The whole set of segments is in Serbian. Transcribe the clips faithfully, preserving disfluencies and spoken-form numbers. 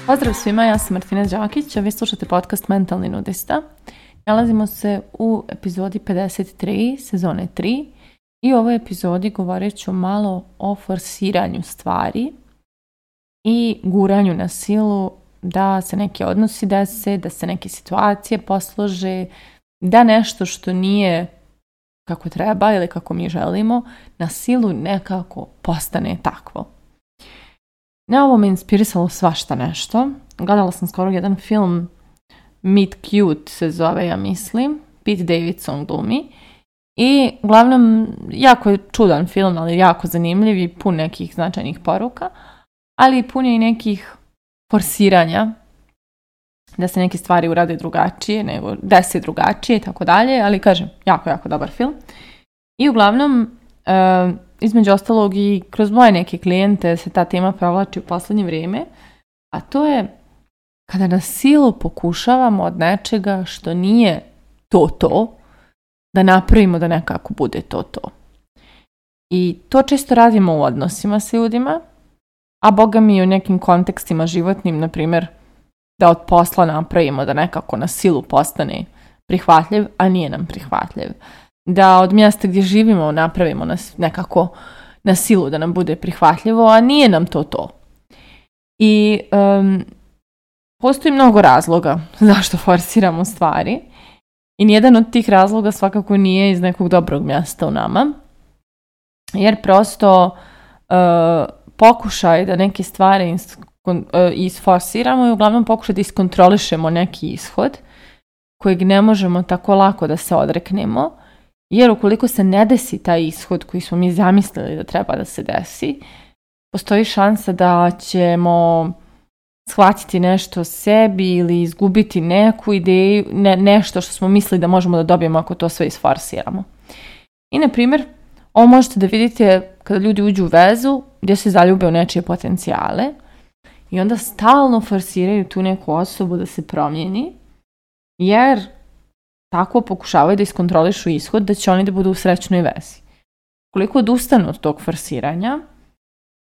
Pozdrav svima, ja sam Martina Đakić, a vi slušate podcast Mentalni nudista. Nalazimo se u epizodi pedeset tri, sezone tri, i u ovoj epizodi govorit ću malo o forsiranju stvari i guranju na silu da se neki odnosi dese, da se neke situacije poslože, da nešto što nije kako treba ili kako mi želimo, na silu nekako postane takvo. Na ovo me inspirisalo svašta nešto. Gledala sam skoro jedan film, Meet Cute se zove, ja mislim. Pete Davidson glumi. I uglavnom, jako je čudan film, ali jako zanimljiv i pun nekih značajnih poruka. Ali pun je i nekih forsiranja da se neke stvari urade drugačije, nego desi drugačije i tako dalje. Ali kažem, jako, jako dobar film. I uglavnom, uh, između ostalog i kroz moje neke klijente se ta tema provlači u posljednje vrijeme, a to je kada na silu pokušavamo od nečega što nije to to, da napravimo da nekako bude to to. I to često radimo u odnosima s ljudima, a boga mi u nekim kontekstima životnim, na primjer, da od posla napravimo da nekako na silu postane prihvatljiv, a nije nam prihvatljiv. Da od mjesta gdje živimo napravimo nas nekako na silu da nam bude prihvatljivo, a nije nam to to. I um, postoji mnogo razloga zašto forsiramo stvari i nijedan od tih razloga svakako nije iz nekog dobrog mjesta u nama, jer prosto uh, pokušaj da neke stvari is, uh, isforsiramo i uglavnom pokušaj da iskontrolišemo neki ishod kojeg ne možemo tako lako da se odreknemo. Jer ukoliko se ne desi taj ishod koji smo mi zamislili da treba da se desi, postoji šansa da ćemo shvatiti nešto sebi ili izgubiti neku ideju, ne, nešto što smo mislili da možemo da dobijemo ako to sve isforsiramo. I na primjer, ovo možete da vidite kada ljudi uđu u vezu gdje se zaljube u nečije potencijale i onda stalno forsiraju tu neku osobu da se promijeni, jer tako pokušavaju da iskontrolišu ishod da će oni da budu u srećnoj vezi. Koliko odustanu od tog forsiranja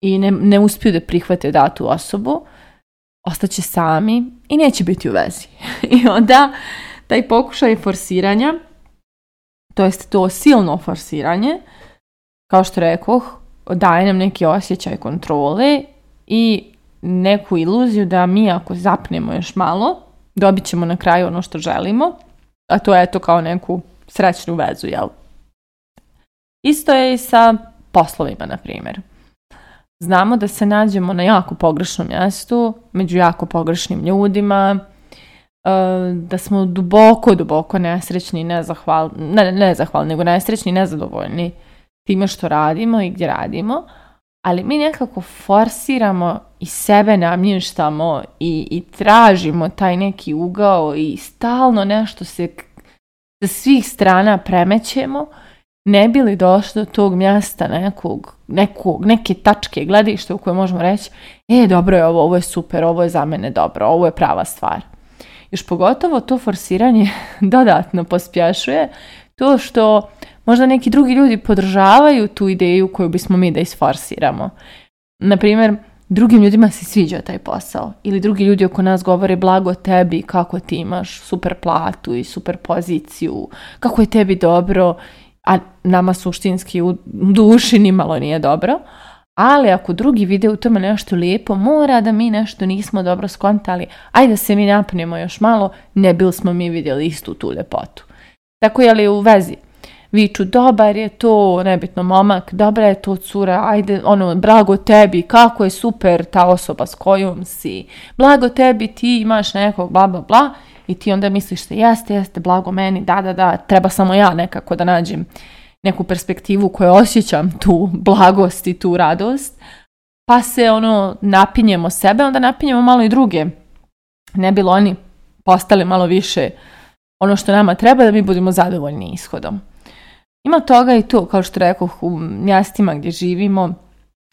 i ne, ne uspiju da prihvate datu osobu, ostaće sami i neće biti u vezi. I onda taj pokušaj forsiranja, to jest to silno forsiranje, kao što rekoh, daje nam neki osjećaj kontrole i neku iluziju da mi ako zapnemo još malo, dobit ćemo na kraju ono što želimo, a to je to kao neku srećnu vezu, jel? Isto je i sa poslovima, na primjer. Znamo da se nađemo na jako pogrešnom mjestu, među jako pogrešnim ljudima, da smo duboko, duboko nesrećni i nezahvalni, ne, nezahvalni, nego nesrećni i nezadovoljni time što radimo i gdje radimo, ali mi nekako forsiramo i sebe namještamo i, i tražimo taj neki ugao i stalno nešto se sa svih strana premećemo, ne bi li došli do tog mjesta nekog, nekog, neke tačke gledišta u kojoj možemo reći e, dobro je ovo, ovo je super, ovo je za mene dobro, ovo je prava stvar. Još pogotovo to forsiranje dodatno pospješuje to što možda neki drugi ljudi podržavaju tu ideju koju bismo mi da isforsiramo. Naprimjer, drugim ljudima se sviđa taj posao ili drugi ljudi oko nas govore blago tebi, kako ti imaš super platu i super poziciju, kako je tebi dobro, a nama suštinski u duši nimalo nije dobro. Ali ako drugi vide u tome nešto lijepo, mora da mi nešto nismo dobro skontali, ajde da se mi napnemo još malo, ne bil smo mi vidjeli istu tu ljepotu. Tako je li u vezi? Viču, dobar je to, nebitno momak, dobra je to cura, ajde, ono, blago tebi, kako je super ta osoba s kojom si, blago tebi, ti imaš nekog, bla, bla, bla, i ti onda misliš se, jeste, jeste, blago meni, da, da, da, treba samo ja nekako da nađem neku perspektivu koju osjećam tu blagost i tu radost, pa se, ono, napinjemo sebe, onda napinjemo malo i druge, ne bilo oni postali malo više ono što nama treba da mi budemo zadovoljni ishodom. Ima toga i to, kao što rekoh, u mjestima gdje živimo,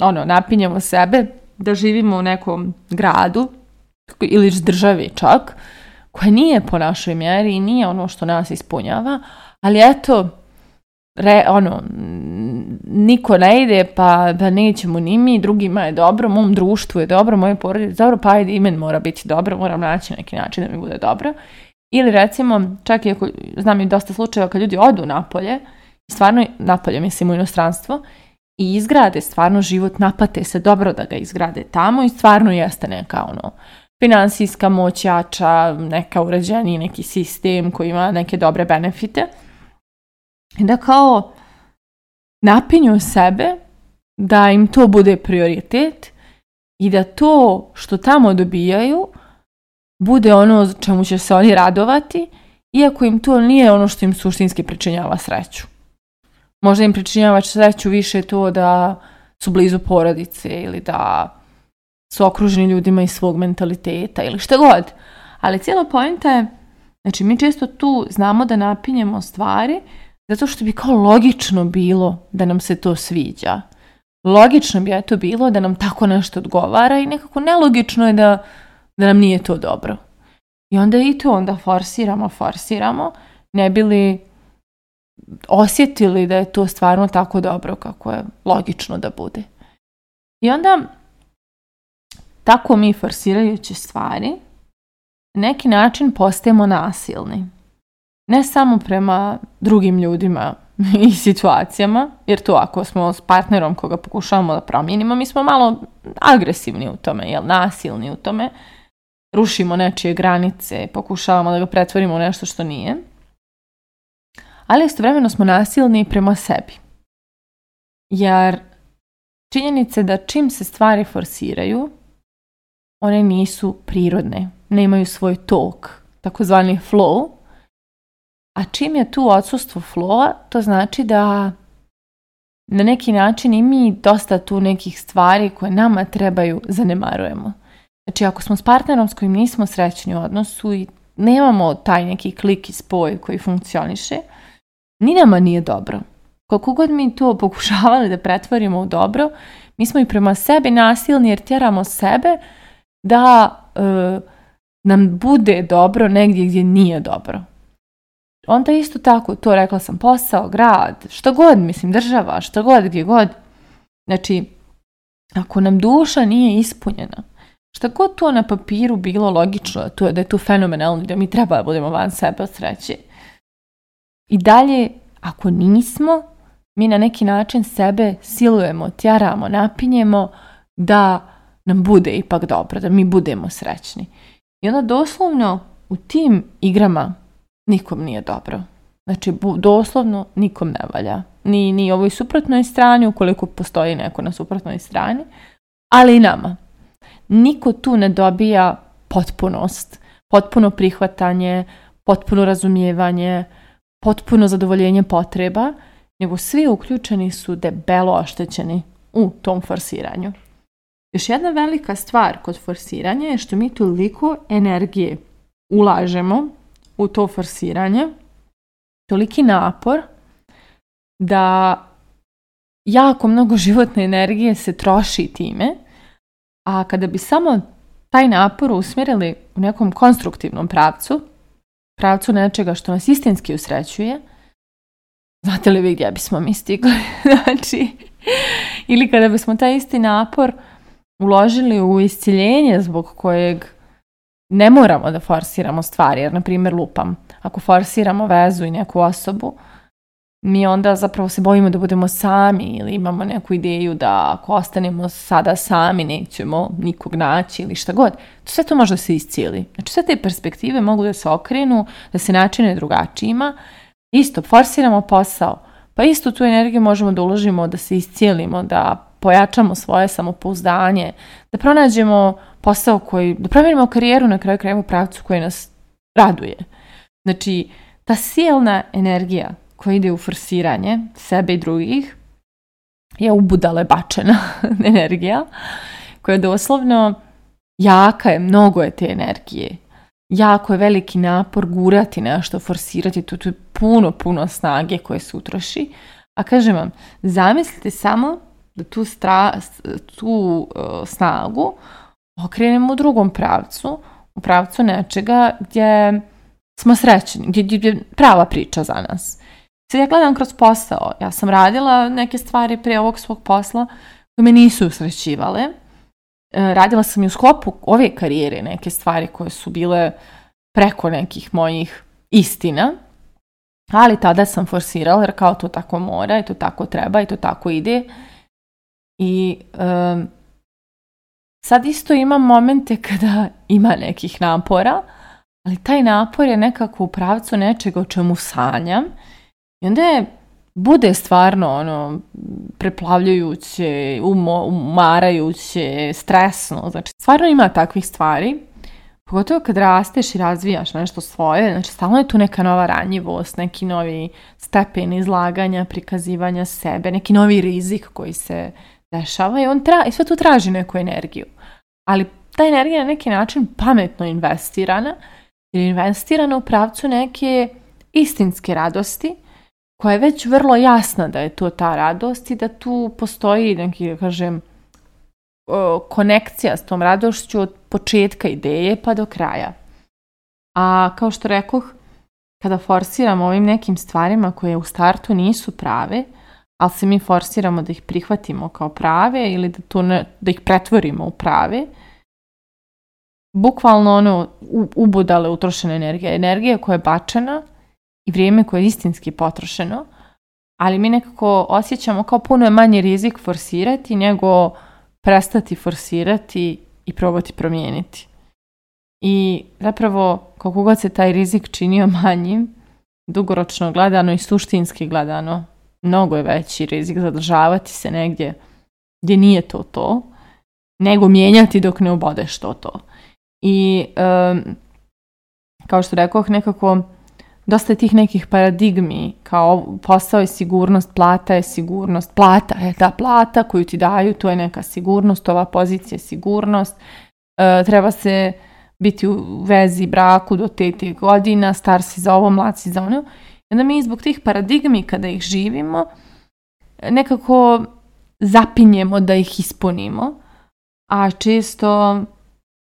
ono, napinjemo sebe da živimo u nekom gradu ili državi čak, koja nije po našoj mjeri i nije ono što nas ispunjava, ali eto, re, ono, niko ne ide, pa da nećemo ni mi, drugima je dobro, mom društvu je dobro, moje porodice je dobro, pa ajde i meni mora biti dobro, moram naći neki način da mi bude dobro. Ili recimo, čak i ako znam i dosta slučajeva kad ljudi odu napolje, stvarno napolje, mislim u inostranstvo, i izgrade stvarno život, napate se dobro da ga izgrade tamo i stvarno jeste neka ono finansijska moć jača, neka uređeniji neki sistem koji ima neke dobre benefite. I da kao napinju sebe da im to bude prioritet i da to što tamo dobijaju bude ono čemu će se oni radovati, iako im to nije ono što im suštinski pričinjava sreću. Možda im pričinjava sreću više to da su blizu porodice ili da su okruženi ljudima iz svog mentaliteta ili šta god. Ali cijela poenta je, znači mi često tu znamo da napinjemo stvari zato što bi kao logično bilo da nam se to sviđa. Logično bi je to bilo da nam tako nešto odgovara i nekako nelogično je da, da nam nije to dobro. I onda i to onda forsiramo, forsiramo, ne bi li osjetili da je to stvarno tako dobro kako je logično da bude. I onda tako mi forsirajući stvari na neki način postajemo nasilni. Ne samo prema drugim ljudima i situacijama, jer to ako smo s partnerom koga pokušavamo da promijenimo, mi smo malo agresivni u tome, jel, nasilni u tome, rušimo nečije granice, pokušavamo da ga pretvorimo u nešto što nije. Ali istovremeno smo nasilni prema sebi. Jer činjenica je da čim se stvari forsiraju, one nisu prirodne, nemaju svoj tok, takozvani flow. A čim je tu odsustvo flowa, to znači da na neki način i mi dosta tu nekih stvari koje nama trebaju zanemarujemo. Znači ako smo s partnerom s kojim nismo srećni u odnosu i nemamo taj neki klik i spoj koji funkcioniše, ni nama nije dobro. Koliko god mi to pokušavali da pretvorimo u dobro, mi smo i prema sebi nasilni jer tjeramo sebe da e, nam bude dobro negdje gdje nije dobro. Onda isto tako, to rekla sam, posao, grad, što god, mislim, država, što god, gdje god. Znači, ako nam duša nije ispunjena, što god to na papiru bilo logično, to je da je to fenomenalno, da mi treba da budemo van sebe od sreće. I dalje, ako nismo, mi na neki način sebe silujemo, tjeramo, napinjemo da nam bude ipak dobro, da mi budemo srećni. I onda doslovno u tim igrama nikom nije dobro. Znači, doslovno nikom ne valja. Ni, ni ovoj suprotnoj strani, ukoliko postoji neko na suprotnoj strani, ali i nama. Niko tu ne dobija potpunost, potpuno prihvatanje, potpuno razumijevanje, potpuno zadovoljenje potreba, nego svi uključeni su debelo oštećeni u tom forsiranju. Još jedna velika stvar kod forsiranja je što mi toliko energije ulažemo u to forsiranje, toliki napor da jako mnogo životne energije se troši time, a kada bi samo taj napor usmjerili u nekom konstruktivnom pravcu, pravcu nečega što nas istinski usrećuje, znate li vi gdje bismo mi stigli? Znači, ili kada bismo taj isti napor uložili u isciljenje zbog kojeg ne moramo da forsiramo stvari, jer na primjer lupam, ako forsiramo vezu i neku osobu, mi onda zapravo se bojimo da budemo sami ili imamo neku ideju da ako ostanemo sada sami nećemo nikog naći ili šta god. Sve to može da se iscijeli. Znači sve te perspektive mogu da se okrenu, da se načine drugačijima. Isto, forsiramo posao, pa isto tu energiju možemo da uložimo, da se iscijelimo, da pojačamo svoje samopouzdanje, da pronađemo posao koji, da promijenimo karijeru na kraju krajeva u pravcu koji nas raduje. Znači, ta silna energija koja ide u forsiranje sebe i drugih je ubudale bačena energija koja je doslovno jaka je, mnogo je te energije. Jako je veliki napor gurati nešto, forsirati, to, to je puno, puno snage koje se utroši. A kažem vam, zamislite samo da tu, stra, tu uh, snagu okrenemo u drugom pravcu, u pravcu nečega gdje smo srećni, gdje, gdje je prava priča za nas. Sad ja gledam kroz posao. Ja sam radila neke stvari prije ovog svog posla koje me nisu usrećivale. Radila sam i u sklopu ove karijere neke stvari koje su bile preko nekih mojih istina, ali tada sam forsirala jer kao to tako mora i to tako treba i to tako ide. I um, sad isto imam momente kada ima nekih napora, ali taj napor je nekako u pravcu nečega o čemu sanjam i onda je bude stvarno ono preplavljujuće, umo, umarajuće, stresno. Znači, stvarno ima takvih stvari. Pogotovo kad rasteš i razvijaš nešto svoje, znači stalno je tu neka nova ranjivost, neki novi stepen izlaganja, prikazivanja sebe, neki novi rizik koji se dešava i on tra- i sve tu traži neku energiju. Ali ta energija je na neki način pametno investirana, jer je investirana u pravcu neke istinske radosti, koja je već vrlo jasna da je to ta radost i da tu postoji neki, da kažem, konekcija s tom radošću od početka ideje pa do kraja. A kao što rekoh, kada forsiramo ovim nekim stvarima koje u startu nisu prave, ali se mi forsiramo da ih prihvatimo kao prave ili da, to ne, da ih pretvorimo u prave, bukvalno ono ubudale utrošena energija. Energija koja je bačena i vrijeme koje je istinski potrošeno, ali mi nekako osjećamo kao puno je manji rizik forsirati nego prestati forsirati i probati promijeniti. I zapravo, koliko god se taj rizik činio manjim, dugoročno gledano i suštinski gledano, mnogo je veći rizik zadržavati se negdje gdje nije to to, nego mijenjati dok ne ubodeš to to. I um, kao što rekoh, nekako dosta je tih nekih paradigmi, kao posao je sigurnost, plata je sigurnost, plata je ta plata koju ti daju, to je neka sigurnost, ova pozicija je sigurnost, e, treba se biti u vezi, braku do te te godina, star si za ovo, mlad si za ono. I onda mi zbog tih paradigmi kada ih živimo, nekako zapinjemo da ih ispunimo, a često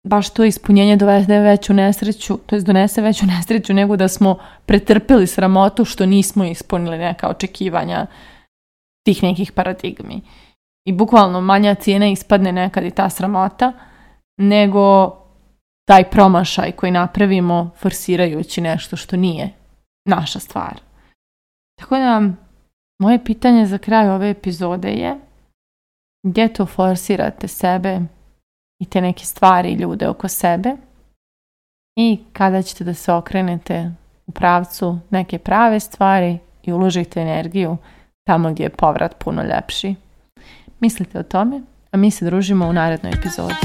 baš to ispunjenje dovede veću nesreću, to je donese veću nesreću nego da smo pretrpili sramotu što nismo ispunili neka očekivanja tih nekih paradigmi. I bukvalno manja cijena ispadne nekad i ta sramota nego taj promašaj koji napravimo forsirajući nešto što nije naša stvar. Tako da, moje pitanje za kraj ove epizode je gdje to forsirate sebe i te neke stvari i ljude oko sebe i kada ćete da se okrenete u pravcu neke prave stvari i uložite energiju tamo gdje je povrat puno ljepši. Mislite o tome, a mi se družimo u narednoj epizodi.